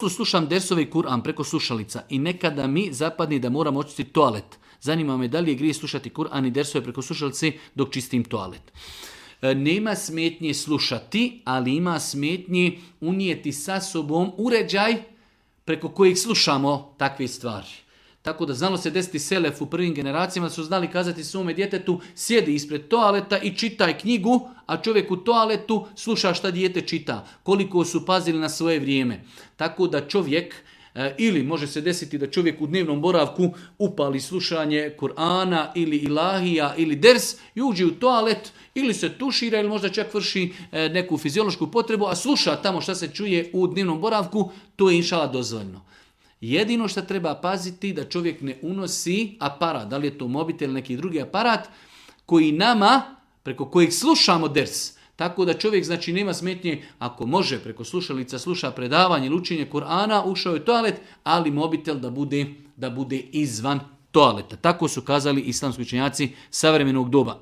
Slušam dersove i Kur'an preko slušalica i nekada mi zapadni da moram očistiti toalet. Zanima me da li je grije slušati Kur'an i dersove preko slušalice dok čistim toalet. Nema smetnje slušati, ali ima smetnje unijeti sa sobom uređaj preko kojeg slušamo takve stvari. Tako da znalo se desiti selef u prvim generacijama da su znali kazati svome djetetu sjedi ispred toaleta i čitaj knjigu, a čovjek u toaletu sluša šta dijete čita. Koliko su pazili na svoje vrijeme. Tako da čovjek, ili može se desiti da čovjek u dnevnom boravku upali slušanje Kur'ana ili ilahija ili ders i uđe u toalet ili se tušira ili možda čak vrši neku fiziološku potrebu, a sluša tamo šta se čuje u dnevnom boravku, to je inšala dozvoljno. Jedino što treba paziti da čovjek ne unosi aparat, da li je to mobitel ili neki drugi aparat, koji nama, preko kojeg slušamo ders. Tako da čovjek znači nema smetnje, ako može preko slušalica sluša predavanje ili učenje Kur'ana, ušao je u toalet, ali mobitel da bude izvan toaleta. Tako su kazali islamski učenjaci savremenog doba.